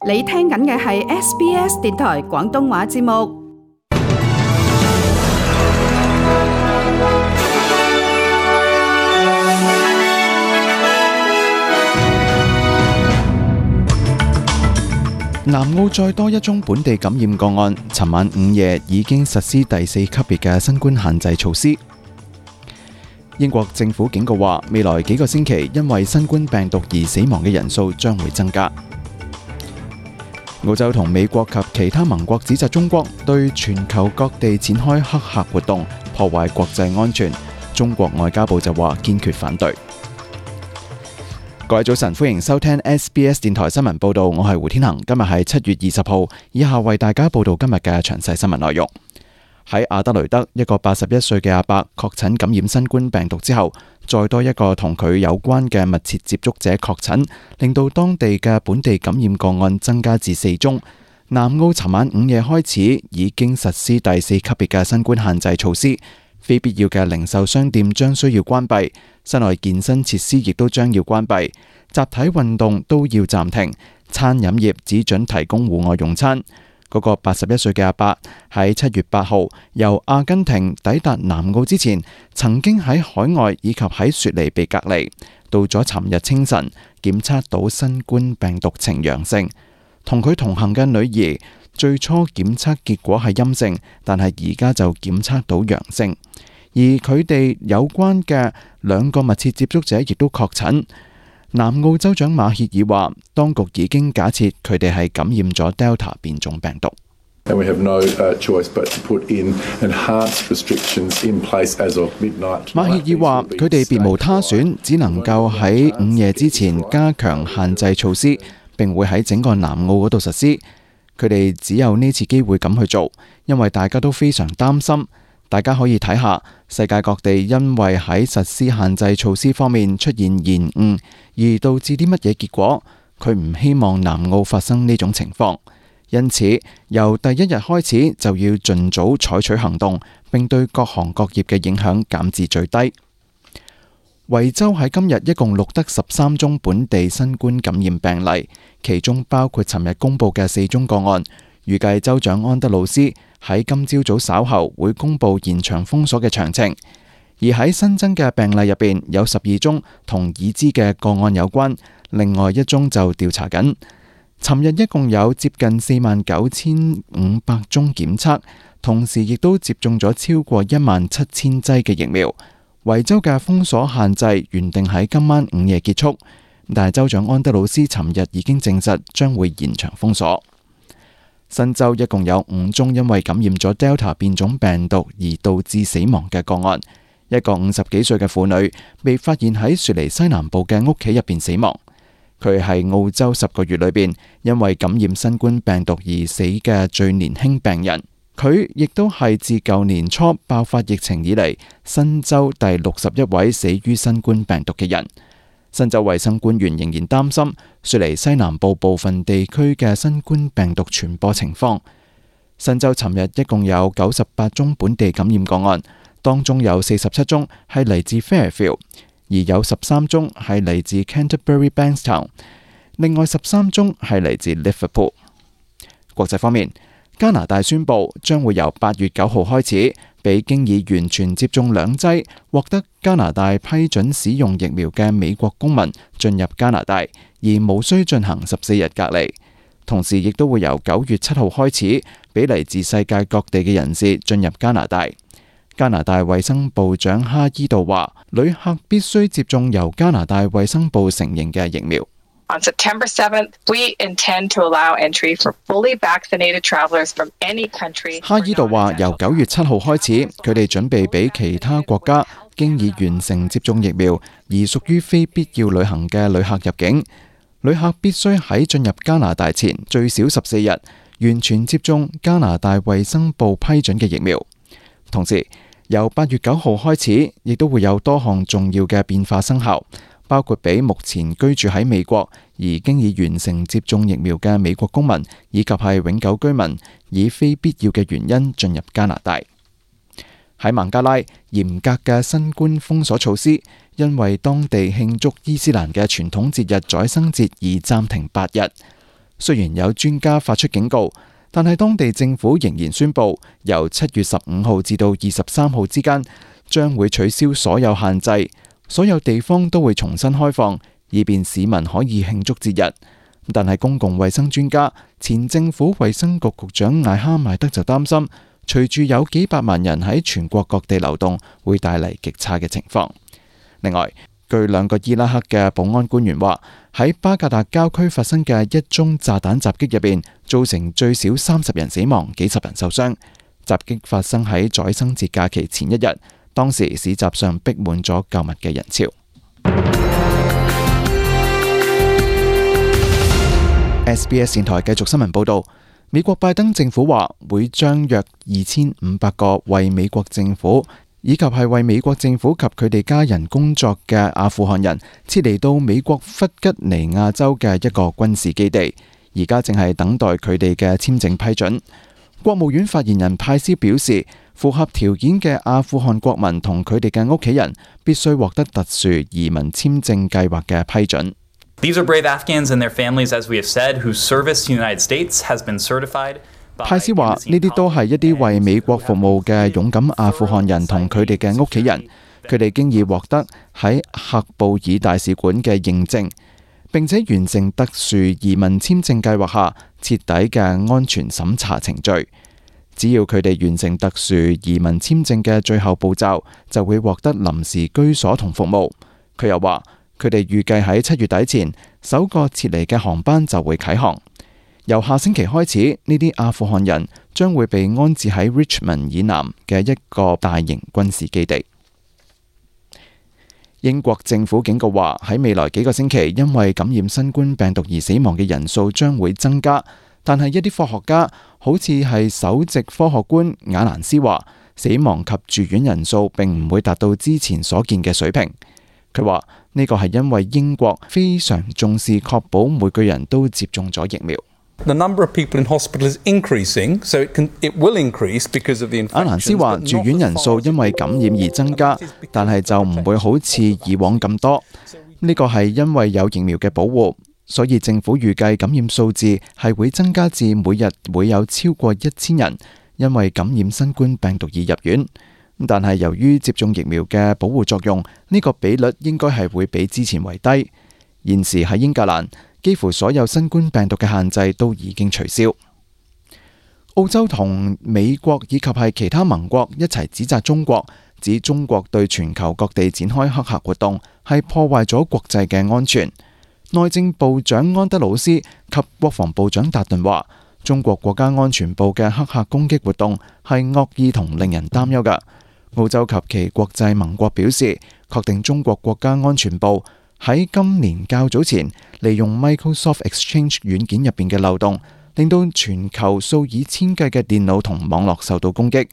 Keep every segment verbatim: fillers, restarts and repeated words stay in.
你聽緊嘅係 S B S 電台廣東話節目。南澳再多一宗本地感染個案，尋晚午夜已經實施第四級別嘅新冠限制措施。英國政府警告話，未來幾個星期因為新冠病毒而死亡嘅人數將會增加。澳洲同美國及其他盟國指責中國對全球各地展開黑客活動，破壞國際安全。中國外交部就話堅決反對。各位早晨，歡迎收聽 S B S 電台新聞報道，我係胡天恒。今日係七月二十號，以下為大家報道今日嘅詳細新聞內容。喺阿德雷德，一個八十一歲嘅阿伯確診感染新冠病毒之後，再多一個同佢有關嘅密切接觸者確診，令到當地嘅本地感染個案增加至四宗。南澳尋晚午夜開始已經實施第四級別嘅新冠限制措施，非必要嘅零售商店將需要關閉，室內健身設施亦都將要關閉，集體運動都要暫停，餐飲業只准提供戶外用餐。嗰個八十一歲嘅阿伯喺七月八號由阿根廷抵達南澳之前，曾經喺海外以及喺雪梨被隔離，到咗尋日清晨檢測到新冠病毒呈陽性。同佢同行嘅女兒最初檢測結果係陰性，但係而家就檢測到陽性，而佢哋有關嘅兩個密切接觸者亦都確診。南澳州長馬歇爾話，當局已經假設佢哋係感染咗 Delta 變種病毒。And we have no choice but to put in enhanced restrictions in place as of midnight. 馬歇爾話，佢哋別無他選，只能夠喺午夜之前加強限制措施，並會喺整個南澳嗰度實施。佢哋只有呢次機會咁去做，因為大家都非常擔心。大家可以睇下世界各地因為喺實施限制措施方面出現延誤，而導致啲乜嘢結果。佢唔希望南澳發生呢種情況，因此由第一日開始就要盡早採取行動，並對各行各業嘅影響減至最低。維州喺今日一共錄得十三宗本地新冠感染病例，其中包括尋日公布嘅四宗個案。預計州長安德魯斯喺今朝早稍後會公布延長封鎖嘅詳情。而喺新增嘅病例入邊，有十二宗同已知嘅個案有關，另外一宗就調查緊。尋日一共有接近四萬九千五百宗檢測，同時亦都接種咗超過一萬七千劑嘅疫苗。維州嘅封鎖限制原定喺今晚午夜結束，但係州長安德魯斯尋日已經證實將會延長封鎖。新州一共有五宗因為感染咗 Delta 變種病毒而導致死亡嘅個案。一個五十幾歲嘅婦女被發現喺雪梨西南部嘅屋企入邊死亡。佢係澳洲十個月裏邊因為感染新冠病毒而死嘅最年輕病人。佢亦都係自舊年初爆發疫情以嚟新州第六十一位死於新冠病毒嘅人。新州衛生官員仍然擔心雪梨西南部部分地區嘅新冠病毒傳播情況。新州尋日一共有九十八宗本地感染個案，當中有四十七宗係嚟自 Fairfield， 而有十三宗係嚟自 Canterbury Bankstown， 另外十三宗係嚟自 Liverpool。國際方面，加拿大宣布將會由八月九號開始，俾經已完全接種兩劑、獲得加拿大批准使用疫苗嘅美國公民進入加拿大，而無需進行十四日隔離。同時，亦都會由九月七號開始，俾嚟自世界各地嘅人士進入加拿大。加拿大衛生部長哈伊道話，旅客必須接種由加拿大衛生部承認嘅疫苗。On September seventh, we intend to allow entry for fully vaccinated travelers from any country. 哈伊道話，由九月七號開始，佢哋準備俾其他國家經已完成接種疫苗而屬於非必要旅行嘅旅客入境。旅客必須喺進入加拿大前最少十四日完全接種加拿大衛生部批准嘅疫苗。同時，由八月九號開始，亦都會有多項重要嘅變化生效。包括俾目前居住喺美國而經已完成接種疫苗嘅美國公民，以及係永久居民，以非必要嘅原因進入加拿大。喺孟加拉，嚴格嘅新冠封鎖措施，因為當地慶祝伊斯蘭嘅傳統節日宰牲節而暫停八日。雖然有專家發出警告，但係當地政府仍然宣布，由七月十五號至到二十三號之間，將會取消所有限制，所有地方都會重新開放，以便市民可以慶祝節日。但係公共衛生專家、前政府衛生局局長艾哈邁德就擔心，隨住有幾百萬人喺全國各地流動，會帶嚟極差嘅情況。另外，據兩個伊拉克嘅保安官員話，喺巴格達郊區發生嘅一宗炸彈襲擊入邊，造成最少三十人死亡，幾十人受傷。襲擊發生喺宰牲節假期前一日，當時市集上逼滿咗購物嘅人潮。S B S 電台繼續新聞報道，美國拜登政府話會將約二千五百個為美國政府以及係為美國政府及佢哋家人工作嘅阿富汗人撤離到美國弗吉尼亞州嘅一個軍事基地，而家正係等待佢哋嘅簽證批准。國務院發言人派斯表示，符合條件嘅阿富汗國民同佢哋嘅屋企人必須獲得特殊移民簽證計劃嘅批准。These are brave Afghans and their families, as we have said, whose service to the United States has been certified. 派斯話：呢啲都係一啲為美國服務嘅勇敢阿富汗人同佢哋嘅屋企人，佢哋經已獲得喺喀布爾大使館嘅認證，並且完成特殊移民簽證計劃下徹底嘅安全審查程序。只要佢哋完成特殊移民簽證嘅最後步驟，就會獲得臨時居所同服務。佢又話：佢哋預計喺七月底前，首個撤離嘅航班就會啟航。由下星期開始，呢啲阿富汗人將會被安置喺 Richmond 以南嘅一個大型軍事基地。英國政府警告話，喺未來幾個星期，因為感染新冠病毒而死亡嘅人數將會增加。但係一啲科學家，好似係首席科學官雅蘭斯話，死亡及住院人數並唔會達到之前所見嘅水平。佢話呢個係因為英國非常重視確保每個人都接種咗疫苗。The number of people in hospital is increasing, so it can, it will increase because of the infections. 阿蘭斯話，住院人數因為感染而增加，但係就唔會好似以往咁多。呢個係因為有疫苗嘅保護，所以政府預計感染數字係會增加至每日會有超過一千人因為感染新冠病毒而入院。但係由於接種疫苗嘅保護作用，呢個比率應該係會比之前為低。現時喺英格蘭，幾乎所有新冠病毒嘅限制都已經取消。澳洲同美國以及係其他盟國一齊指責中國，指中國對全球各地展開黑客活動係破壞咗國際嘅安全。內政部長安德魯斯及國防部長達頓話，中國國家安全部嘅黑客攻擊活動係惡意同令人擔憂㗎。澳洲及其國際盟國表示，確定中國國家安全部喺今年較早前利用 Microsoft Exchange 軟件入邊嘅漏洞，令到全球數以千計嘅電腦同網絡受到攻擊。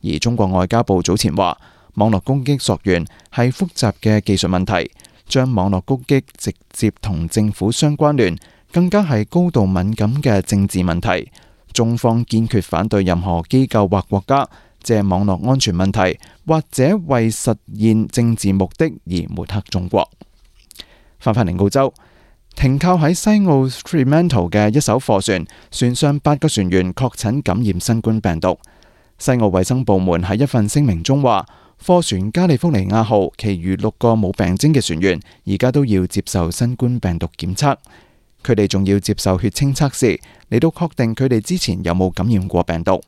而中國外交部早前話，網絡攻擊溯源係複雜嘅技術問題，將網絡攻擊直接同政府相關聯，更加係高度敏感嘅政治問題。中方堅決反對任何機構或國家借網絡安全問題或者為實現政治目的而抹黑中國。翻返嚟澳洲，停靠喺西澳 Fremantle 嘅一艘貨船，船上八個船員確診感染新冠病毒。西澳衛生部門喺一份聲明中話，貨船加利福尼亞號其餘六個冇病徵嘅船員而家都要接受新冠病毒檢測，佢哋仲要接受血清測試嚟到確定佢哋之前有冇感染過病毒。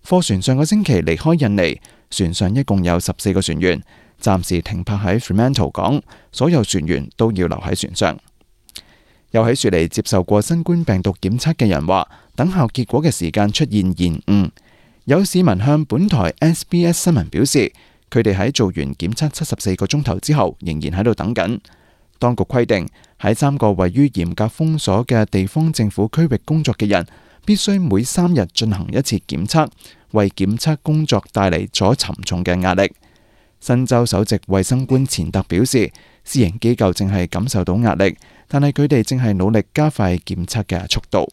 貨船上個星期離開印尼，船上一共有十四個船員，暫時停泊喺 Fremantle 港，所有船員都要留喺船上。有喺雪梨接受過新冠病毒檢測嘅人話，等候結果嘅時間出現延誤。有市民向本台 S B S 新聞表示，佢哋喺做完檢測七十四個鐘頭之後，仍然喺度等緊。當局規定，喺三個位於嚴格封鎖嘅地方政府區域工作嘅人，必須每三日進行一次檢測，為檢測工作帶嚟咗沉重嘅壓力。新州首席衛生官錢特表示，私營機構正係感受到壓力，但係佢哋正係努力加快檢測嘅速度。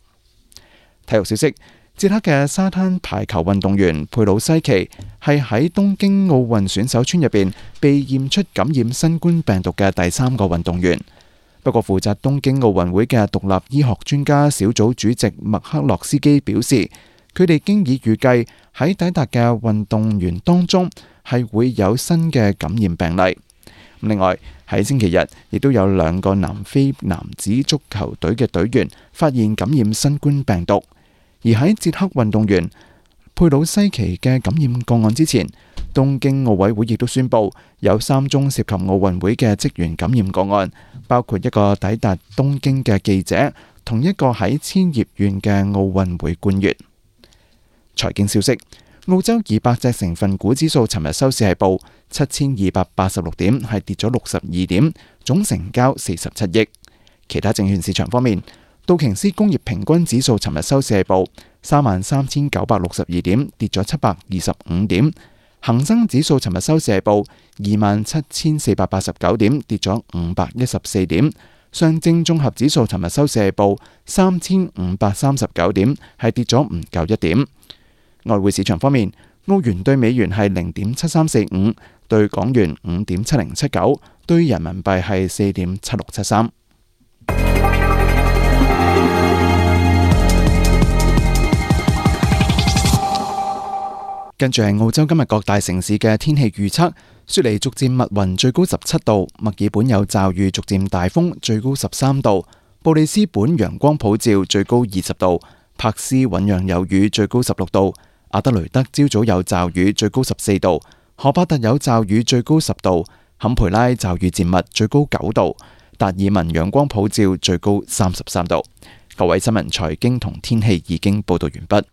體育消息，捷克嘅沙灘排球運動員佩魯西奇係喺東京奧運選手村入邊被驗出感染新冠病毒嘅第三個運動員。不過負責東京奧運會嘅獨立醫學專家小組主席麥克洛斯基表示，佢哋經已預計喺抵達嘅運動員當中係會有新嘅感染病例。另外喺星期日亦都有兩個南非男子足球隊嘅隊員發現感染新冠病毒，而喺捷克運動員佩魯西奇嘅感染個案之前，東京奧委會亦都宣布有三宗涉及奧運會嘅職員感染個案，包括一個抵達東京嘅記者，同一個喺千葉縣嘅奧運會官員。財經消息，澳洲二百隻成分股指數尋日收市係報七千二百八十六點，係跌咗六十二點，總成交四十七億。其他證券市場方面，道瓊斯工業平均指數尋日收市係報三萬三千九百六十二點，跌咗七百二十五點。恒生指數尋日收市係報二萬七千四百八十九點，跌咗五百一十四點。上證綜合指數尋日收市係報三千五百三十九點，係跌咗唔夠一點。外匯市場方面，澳元對美元係零點七三四五，對港元五點七零七九，對人民幣係四點七六七三。跟住係澳洲今日各大城市嘅天氣預測：雪梨逐漸密雲，最高十七度；墨爾本有驟雨，逐漸大風，最高十三度；布里斯本陽光普照，最高二十度；柏斯醞釀有雨，最高十六度；阿德雷德朝早有驟雨，最高十四度；荷巴特有驟雨，最高十度；坎培拉驟雨漸密，最高九度；達爾文陽光普照，最高三十三度。各位新聞、財經同天氣已經報道完畢。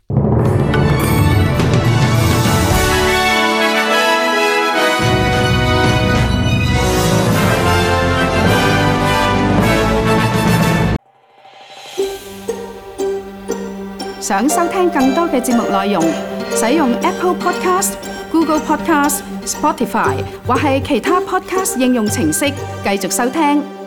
想收聽更多嘅節目內容，使用 Apple Podcast、Google Podcast、Spotify 或係其他 Podcast 應用程式繼續收聽。